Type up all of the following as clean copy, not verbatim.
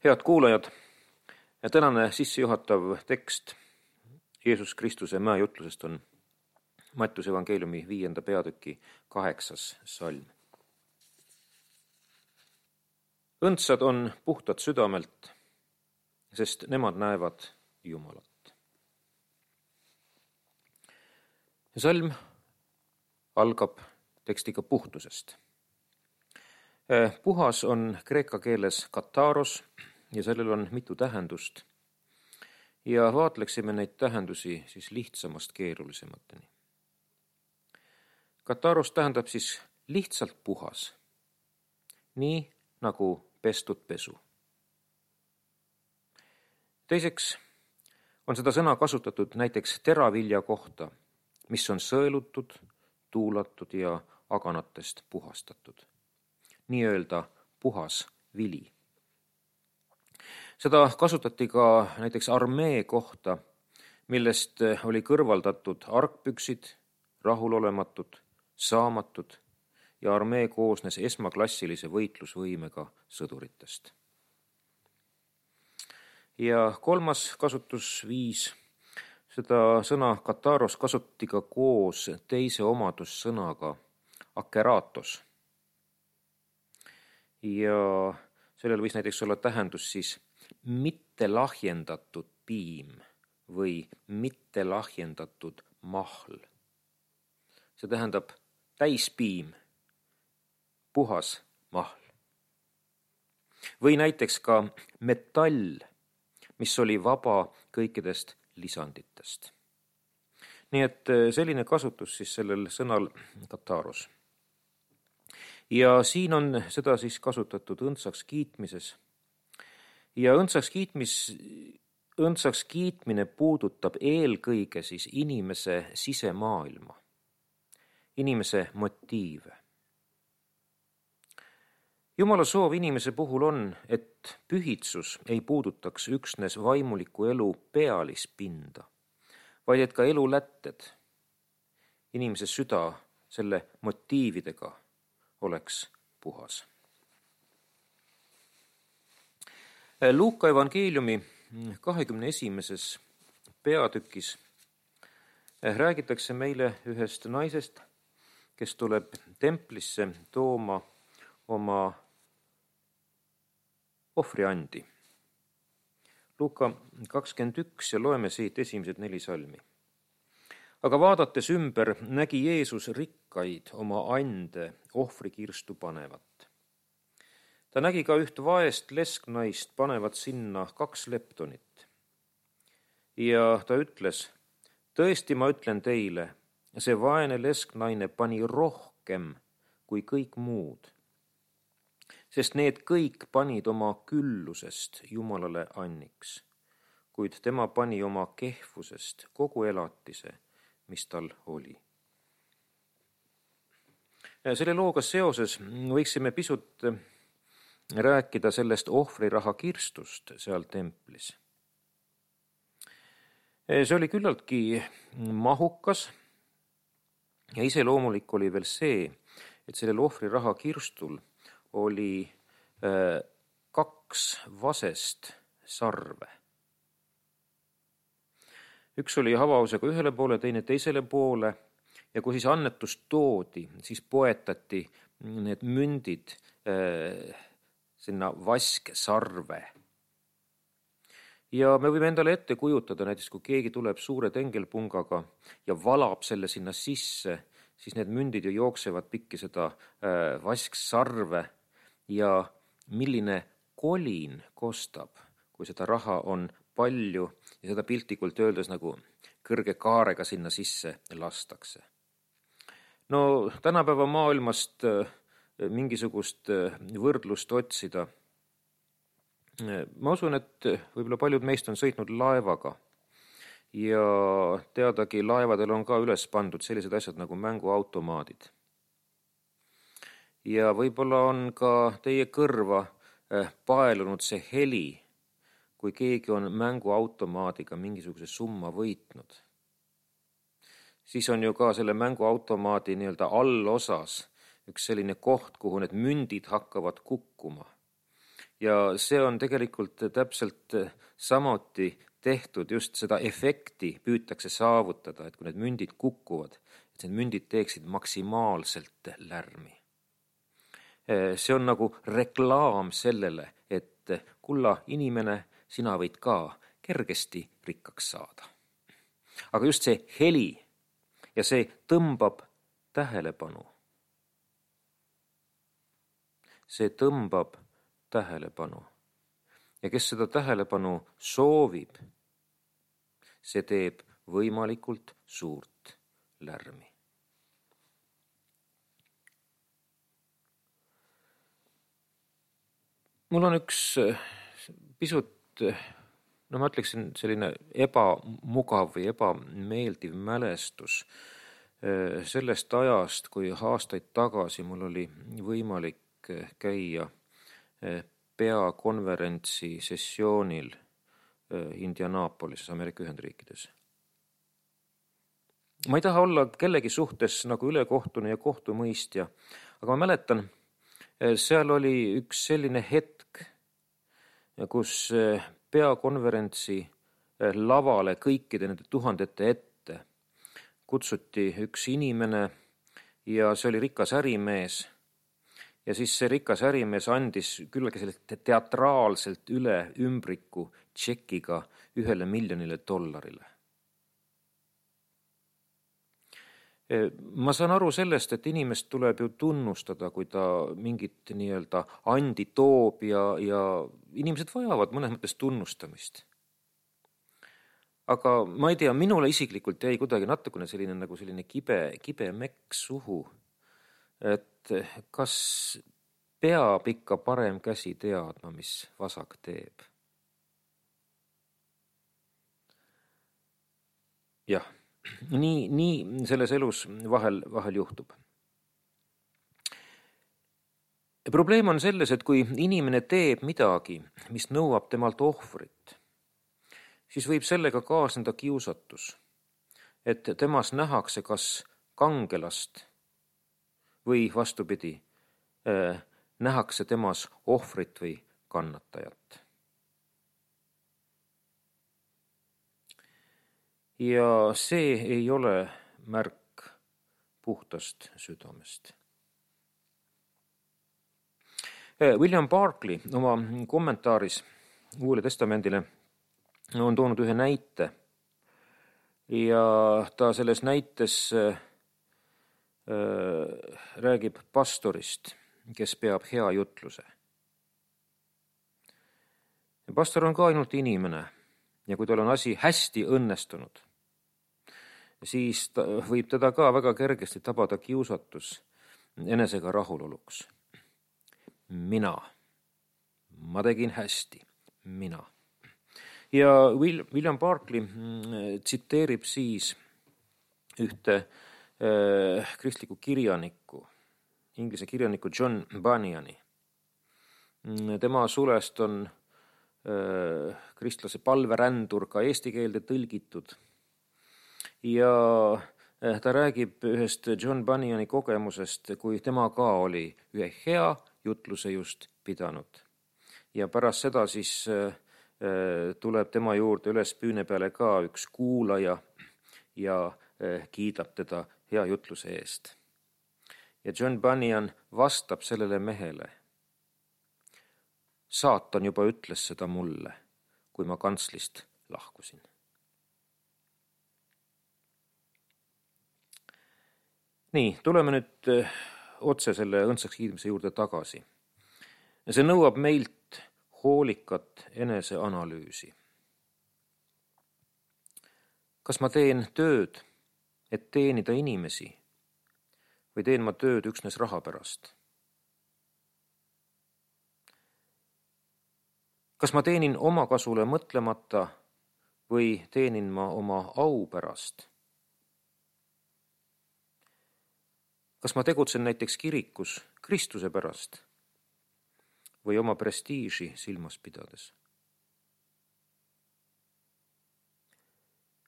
Head kuulajad, tänane sissejuhatav tekst Jeesus Kristuse mäejutlusest on Mattiuse evangeeliumi 5. peatüki 8. salm. Õndsad on puhtad südamelt, sest nemad näevad Jumalat. Salm algab tekstiga puhtusest. Puhas on kreeka keeles kataros ja sellel on mitu tähendust. Ja vaatleksime neid tähendusi siis lihtsamast keerulisemateni. Kataros tähendab siis lihtsalt puhas, nii nagu pestud pesu. Teiseks on seda sõna kasutatud näiteks teravilja kohta, mis on sõelutud, tuulatud ja aganatest puhastatud. Nii-öelda puhas vili. Seda kasutati ka näiteks armee kohta, millest oli kõrvaldatud argpüksid, rahulolematud, saamatud ja armee koosnes esmaklassilise võitlusvõimega sõduritest. Ja kolmas kasutusviis, seda sõna kataros kasutati ka koos teise omadussõnaga akeratos. Ja sellel võis näiteks olla tähendus siis mitte lahjendatud piim või mitte lahjendatud mahl. See tähendab täispiim, puhas mahl. Või näiteks ka metall, mis oli vaba kõikidest lisanditest. Nii et selline kasutus siis sellel sõnal kataros. Ja siin on seda siis kasutatud õndsaks kiitmises. Ja õndsaks kiitmine puudutab eelkõige siis inimese sisemaailma, inimese motiive. Jumala soov inimese puhul on, et pühitsus ei puudutaks üksnes vaimuliku elu pealispinda, vaid et ka elu lätted, inimese süda selle motiividega oleks puhas. Luuka evangeeliumi 21. peatükis räägitakse meile ühest naisest, kes tuleb templisse tooma oma ohvriandi. Luuka 21 ja loeme siit esimesed 4 salmi. Aga vaadates ümber nägi Jeesus rikkaid oma ande ohvrikirstu panevat. Ta nägi ka üht vaest lesknaist panevat sinna 2 leptonit. Ja ta ütles, tõesti ma ütlen teile, see vaene lesknaine pani rohkem kui kõik muud, sest need kõik panid oma küllusest Jumalale anniks, kuid tema pani oma kehvusest kogu elatise, mis tal oli. Selle looga seoses võiksime pisut rääkida sellest ohvriraha kirstust seal templis. See oli küllaltki mahukas ja iseloomulik oli veel see, et sellel ohvriraha kirstul oli 2 vasest sarve. Üks oli havausega ühele poole, teine teisele poole ja kui siis annetust toodi, siis poetati need mündid sinna vasksarve. Ja me võime endale ette kujutada, näiteks kui keegi tuleb suure tengelpungaga ja valab selle sinna sisse, siis need mündid ju jooksevad pikki seda vasksarve ja milline kolin kostab, kui seda raha on palju ja seda piltlikult öeldes nagu kõrge kaarega sinna sisse lastakse. No tänapäeva maailmast mingisugust võrdlust otsida. Ma usun, et võib-olla paljud meist on sõitnud laevaga ja teadagi laevadel on ka üles pandud sellised asjad nagu mänguautomaadid. Ja võib-olla on ka teie kõrva paelunud see heli, kui keegi on mänguautomaadiga mingisuguse summa võitnud. Siis on ju ka selle mänguautomaadi nii-öelda allosas üks selline koht, kuhu need mündid hakkavad kukkuma. Ja see on tegelikult täpselt samuti tehtud, just seda efekti püütakse saavutada, et kui need mündid kukuvad, et need mündid teeksid maksimaalselt lärmi. See on nagu reklaam sellele, et kulla inimene, sina võid ka kergesti rikkaks saada. Aga just see heli ja see tõmbab tähelepanu. See tõmbab tähelepanu. Ja kes seda tähelepanu soovib, see teeb võimalikult suurt lärmi. Mul on üks pisut, ma ütleksin, selline ebamugav või ebameeldiv mälestus sellest ajast, kui aastaid tagasi mul oli võimalik käia peakonverentsi sessioonil Indianapolises, Ameerika Ühendriikides. Ma ei taha olla kellegi suhtes nagu ülekohtune ja kohtumõistja, aga ma mäletan, seal oli üks selline hetk, kus peakonverentsi lavale kõikide nende tuhandete ette kutsuti üks inimene ja see oli rikas ärimees. Ja siis see rikas ärimees andis küllagi sellelt teatraalselt üle ümbriku tšekiga $1 miljonile. Ma saan aru sellest, et inimest tuleb ju tunnustada, kui ta mingit nii-öelda andi toob ja inimesed vajavad mõnes mõttes tunnustamist. Aga ma ei tea, minule isiklikult jäi kuidagi natukene selline kibe mekk suhu, et kas peab ikka parem käsi teadma, mis vasak teeb. Jah, nii selles elus vahel juhtub. Probleem on selles, et kui inimene teeb midagi, mis nõuab temalt ohvrit, siis võib sellega kaasneda kiusatus, et temas nähakse kas kangelast või vastupidi, nähakse temas ohvrit või kannatajat. Ja see ei ole märk puhtast südamest. William Barclay oma kommentaaris Uuele Testamendile on toonud ühe näite ja ta selles näites räägib pastorist, kes peab hea jutluse. Pastor on ka ainult inimene ja kui tal on asi hästi õnnestunud, siis võib teda ka väga kergesti tabada kiusatus enesega rahuloluks. Ma tegin hästi, mina. Ja William Barclay tsiteerib siis ühte kristliku kirjaniku, inglise kirjaniku John Bunyani. Tema sulest on kristlase palverändur ka eesti keelde tõlgitud. Ja ta räägib ühest John Bunyani kogemusest, kui tema ka oli ühe hea jutluse just pidanud. Ja pärast seda siis tuleb tema juurde üles püüne peale ka üks kuulaja ja kiidab teda hea jutluse eest. Ja John Bunyan vastab sellele mehele. Saatan juba ütles seda mulle, kui ma kantslist lahkusin. Nii, tuleme nüüd otse selle õndsaks kiitmise juurde tagasi. See nõuab meilt hoolikat eneseanalüüsi. Kas ma teen tööd, et teenida inimesi või teen ma tööd üksnes raha pärast? Kas ma teenin oma kasule mõtlemata või teenin ma oma au pärast? Kas ma tegutsen näiteks kirikus Kristuse pärast või oma prestiiži silmas pidades?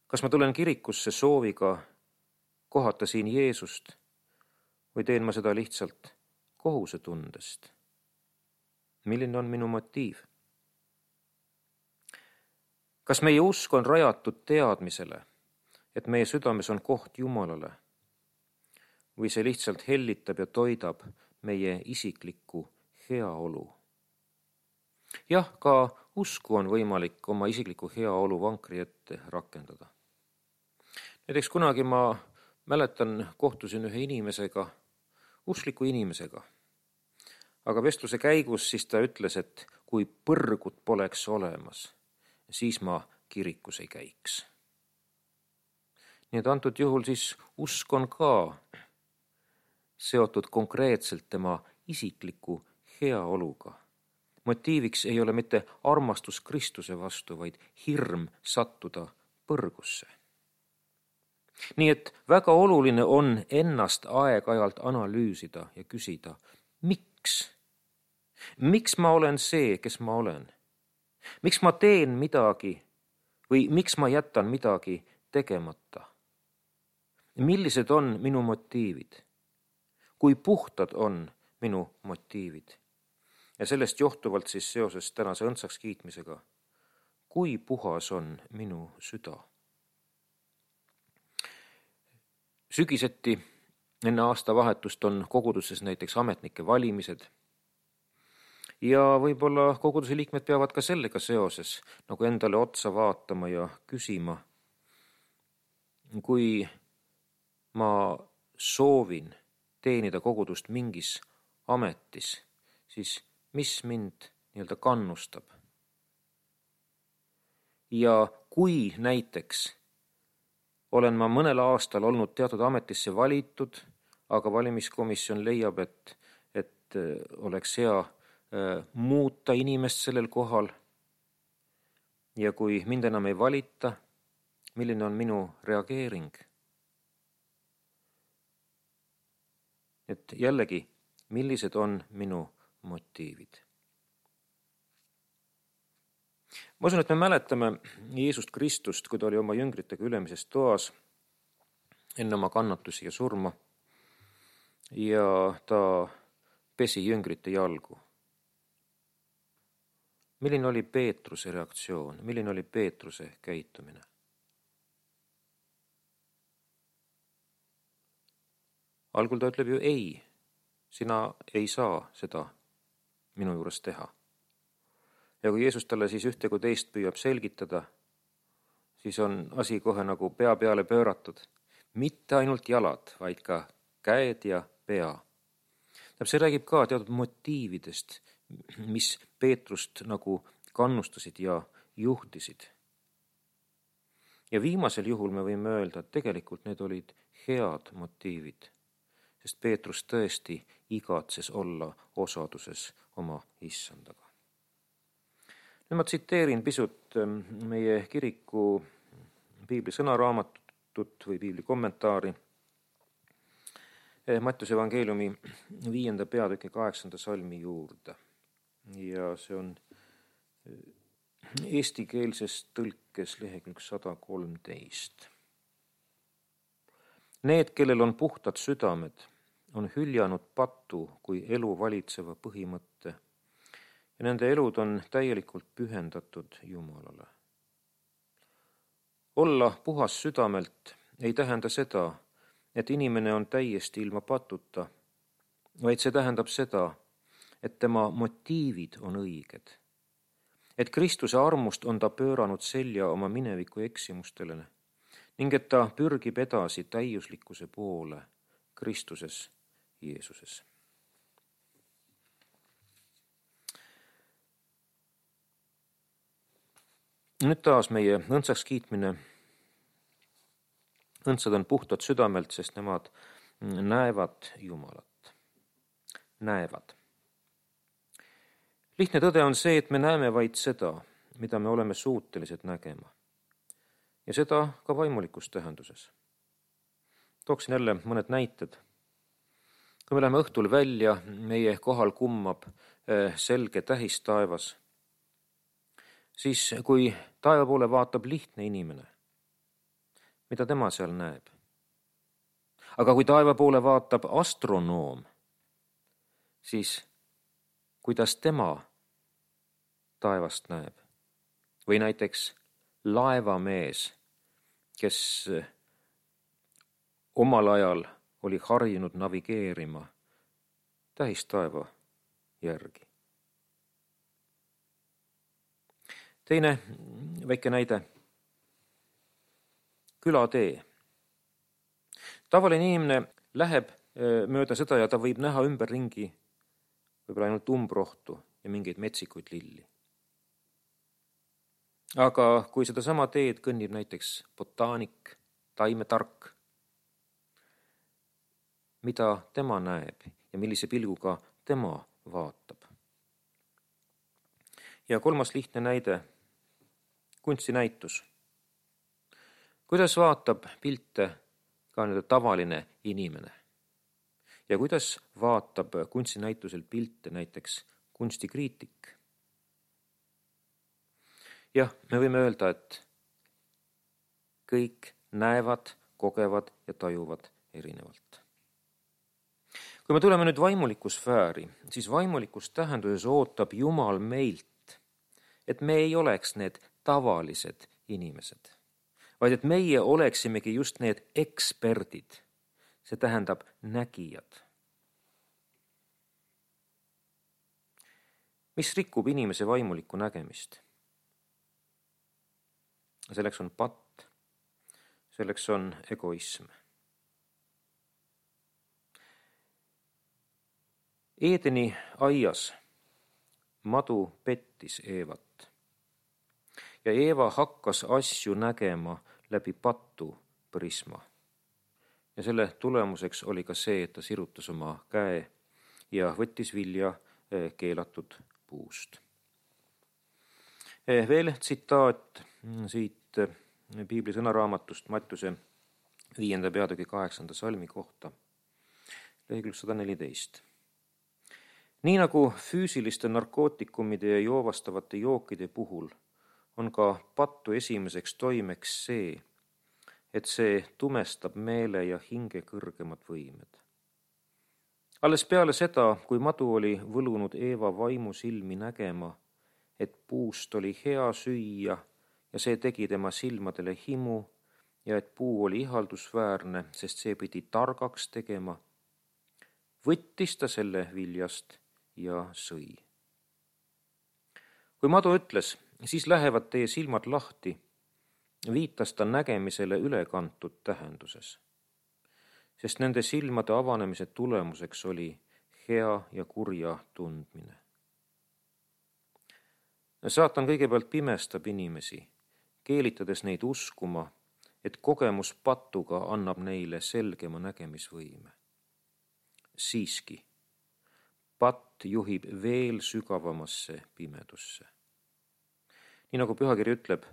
Kas ma tulen kirikusse sooviga kohata siin Jeesust või teen ma seda lihtsalt kohusetundest? milline on minu motiiv? Kas meie usk on rajatud teadmisele, et meie südames on koht Jumalale, või see lihtsalt hellitab ja toidab meie isiklikku heaolu? Jah, ka usku on võimalik oma isikliku heaolu vankri ette rakendada. Näiteks kunagi ma mäletan, kohtusin ühe inimesega, uskliku inimesega, aga vestluse käigus siis ta ütles, et kui põrgut poleks olemas, siis ma kirikus ei käiks. Nii et antud juhul siis usk on ka seotud konkreetselt tema isikliku heaoluga. Motiiviks ei ole mitte armastus Kristuse vastu, vaid hirm sattuda põrgusse. Nii et väga oluline on ennast aeg-ajalt analüüsida ja küsida, miks? Miks ma olen see, kes ma olen? Miks ma teen midagi või miks ma jätan midagi tegemata? Millised on minu motiivid? Kui puhtad on minu motiivid? Ja sellest johtuvalt siis seoses tänase õndsaks kiitmisega, kui puhas on minu süda? Sügiseti enne aastavahetust on koguduses näiteks ametnike valimised ja võib-olla koguduse liikmed peavad ka sellega seoses nagu endale otsa vaatama ja küsima, kui ma soovin teenida kogudust mingis ametis, siis mis mind nii-öelda kannustab? Ja kui näiteks olen ma mõnel aastal olnud teatud ametisse valitud, aga valimiskomisjon leiab, et oleks hea muuta inimest sellel kohal ja kui mind enam ei valita, milline on minu reageering? Et jällegi, millised on minu motiivid? Ma usun, et me mäletame Jeesust Kristust, kui ta oli oma jüngritega ülemises toas enne oma kannatusi ja surma ja ta pesi jüngrite jalgu. Milline oli Peetruse reaktsioon? Milline oli Peetruse käitumine? Algul ta ütleb ju ei, sina ei saa seda minu juures teha. Ja kui Jeesus talle siis ühte kui teist püüab selgitada, siis on asi kohe nagu pea peale pööratud. Mitte ainult jalad, vaid ka käed ja pea. See räägib ka teatud motiividest, mis Peetrust nagu kannustasid ja juhtisid. Ja viimasel juhul me võime öelda, et tegelikult need olid head motiivid, sest Peetrus tõesti igatses olla osaduses oma issandaga. Nüüd ma tsiteerin pisut meie kiriku piibli sõnaraamatut või piibli kommentaari Mattiuse evangeeliumi 5. peatüki 8. salmi juurde. Ja see on eestikeelses tõlkes lehekülg 113. Need, kellel on puhtad südamed, on hüljanud patu kui elu valitseva põhimõtte ja nende elud on täielikult pühendatud Jumalale. Olla puhas südamelt ei tähenda seda, et inimene on täiesti ilma patuta, vaid see tähendab seda, et tema motiivid on õiged. Et Kristuse armust on ta pööranud selja oma mineviku eksimustele ning et ta pürgib edasi täiuslikkuse poole Kristuses Jeesuses. Nüüd taas meie õndsaks kiitmine. Õndsad on puhtad südamelt, sest nemad näevad Jumalat. Näevad. Lihtne tõde on see, et me näeme vaid seda, mida me oleme suutelised nägema. Ja seda ka vaimulikus tähenduses. Tooksin jälle mõned näited. Kui me läheme õhtul välja, meie kohal kummab selge tähis taevas, siis kui taeva poole vaatab lihtne inimene, mida tema seal näeb? Aga kui taeva poole vaatab astronoom, siis kuidas tema taevast näeb. Või näiteks laevamees, kes omal ajal oli harjunud navigeerima tähistaeva järgi. Teine väike näide. Külatee. Tavaline inimene läheb mööda seda ja ta võib näha ümberringi võib-olla ainult umbrohtu ja mingeid metsikuid lilli. Aga kui sedasama teed kõnnib näiteks botaanik, taimetark, mida tema näeb ja millise pilguga tema vaatab. Ja kolmas lihtne näide, kunstinäitus. Kuidas vaatab pilte ka tavaline inimene? Ja kuidas vaatab kunstinäitusel pilte näiteks kunstikriitik? Jah, me võime öelda, et kõik näevad, kogevad ja tajuvad erinevalt. Kui me tuleme nüüd vaimuliku sfääri, siis vaimulikus tähenduses ootab Jumal meilt, et me ei oleks need tavalised inimesed, vaid et meie oleksimegi just need eksperdid, see tähendab nägijad. Mis rikub inimese vaimulikku nägemist? Selleks on patt, selleks on egoism. Eedeni aias madu pettis Eevat ja Eeva hakkas asju nägema läbi patu prisma. Ja selle tulemuseks oli ka see, et ta sirutas oma käe ja võttis vilja keelatud puust. Veel tsitaat siit Piibli sõnaraamatust Mattiuse 5. peatüki 8. salmi kohta, lehekülg 114. Nii nagu füüsiliste narkootikumide ja joovastavate jookide puhul on ka pattu esimeseks toimeks see, et see tumestab meele ja hinge kõrgemad võimed. Alles peale seda, kui madu oli võlunud Eeva vaimu silmi nägema, et puust oli hea süüa ja see tegi tema silmadele himu ja et puu oli ihaldusväärne, sest see pidi targaks tegema, võttis ta selle viljast ja sõi. Kui madu ütles, siis lähevad teie silmad lahti, viitas ta nägemisele ülekantud tähenduses, sest nende silmade avanemise tulemuseks oli hea ja kurja tundmine. Saatan kõigepealt pimestab inimesi, keelitades neid uskuma, et kogemus patuga annab neile selgema nägemisvõime. Siiski, patt juhib veel sügavamasse pimedusse. Nii nagu pühakiri ütleb,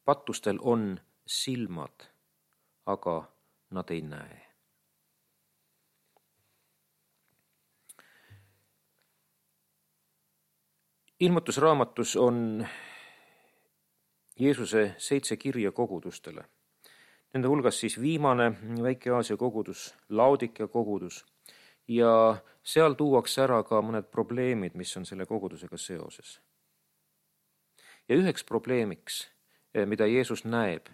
patustel on silmad, aga nad ei näe. Ilmutusraamatus on Jeesuse 7 kirja kogudustele. Nende hulgas siis viimane Väike-Aasia kogudus, Laodikia kogudus ja seal tuuakse ära ka mõned probleemid, mis on selle kogudusega seoses. Ja üheks probleemiks, mida Jeesus näeb,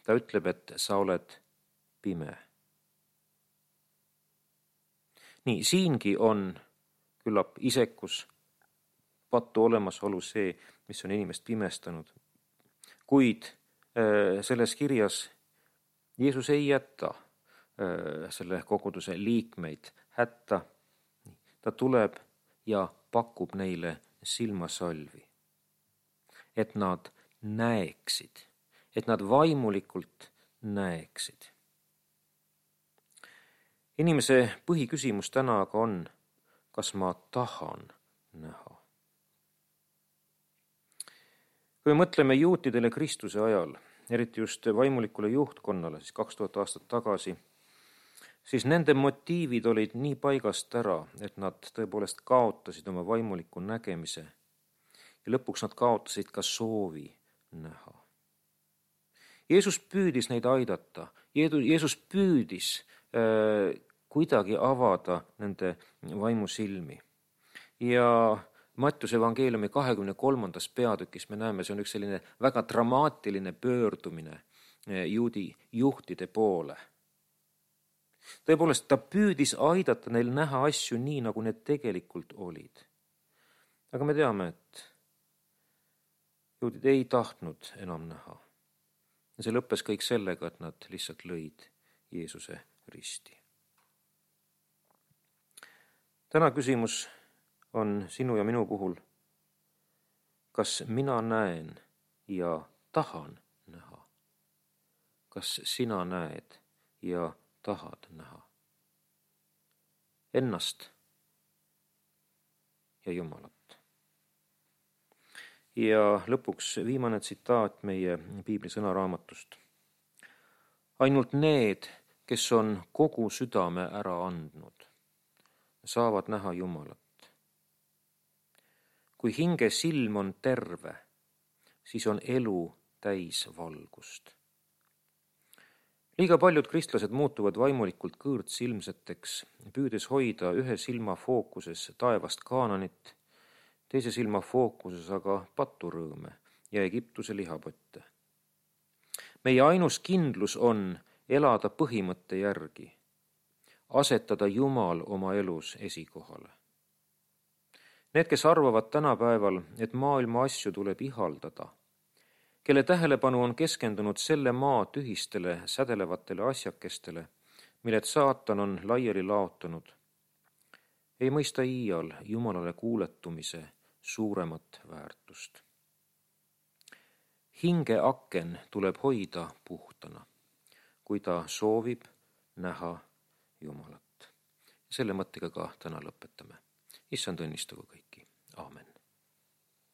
ta ütleb, et sa oled pime. Nii, siingi on küllap isekus, patu olemasolu see, mis on inimest pimestanud. Kuid selles kirjas Jeesus ei jäta selle koguduse liikmeid hätta. Ta tuleb ja pakub neile silmasalvi, et nad näeksid, et nad vaimulikult näeksid. Inimese põhiküsimus täna aga on, kas ma tahan näha. Kui me mõtleme juutidele Kristuse ajal, eriti just vaimulikule juhtkonnale, siis 2000 aastat tagasi, siis nende motiivid olid nii paigast ära, et nad tõepoolest kaotasid oma vaimuliku nägemise ja lõpuks nad kaotasid ka soovi näha. Jeesus püüdis neid aidata, Jeesus püüdis kuidagi avada nende vaimusilmi ja Mattiuse evangeeliumi 23. peatükis me näeme, see on üks selline väga dramaatiline pöördumine juudi juhtide poole. Tõepoolest, ta püüdis aidata neil näha asju nii, nagu need tegelikult olid. Aga me teame, et juudid ei tahtnud enam näha. Ja see lõppes kõik sellega, et nad lihtsalt lõid Jeesuse risti. Täna küsimus on sinu ja minu puhul, kas mina näen ja tahan näha? Kas sina näed ja tahad näha? Ennast ja Jumalat. Ja lõpuks viimane tsitaat meie piibli sõnaraamatust. Ainult need, kes on kogu südame ära andnud, saavad näha Jumalat. Kui hinge silm on terve, siis on elu täis valgust. Liiga paljud kristlased muutuvad vaimulikult kõõrdsilmseteks, püüdes hoida ühe silma fookuses taevast Kaananit, teise silma fookuses aga paturõõme ja Egiptuse lihapotte. Meie ainus kindlus on elada põhimõtte järgi, asetada Jumal oma elus esikohale. Need, kes arvavad tänapäeval, et maailma asju tuleb ihaldada, kelle tähelepanu on keskendunud selle maa tühistele sädelevatele asjakestele, milled saatan on laiali laotanud, ei mõista iial Jumalale kuuletumise suuremat väärtust. Hinge aken tuleb hoida puhtana, kui ta soovib näha Jumalat. Selle mõttega ka täna lõpetame. Issand õnnistagu kõiki. Aamen.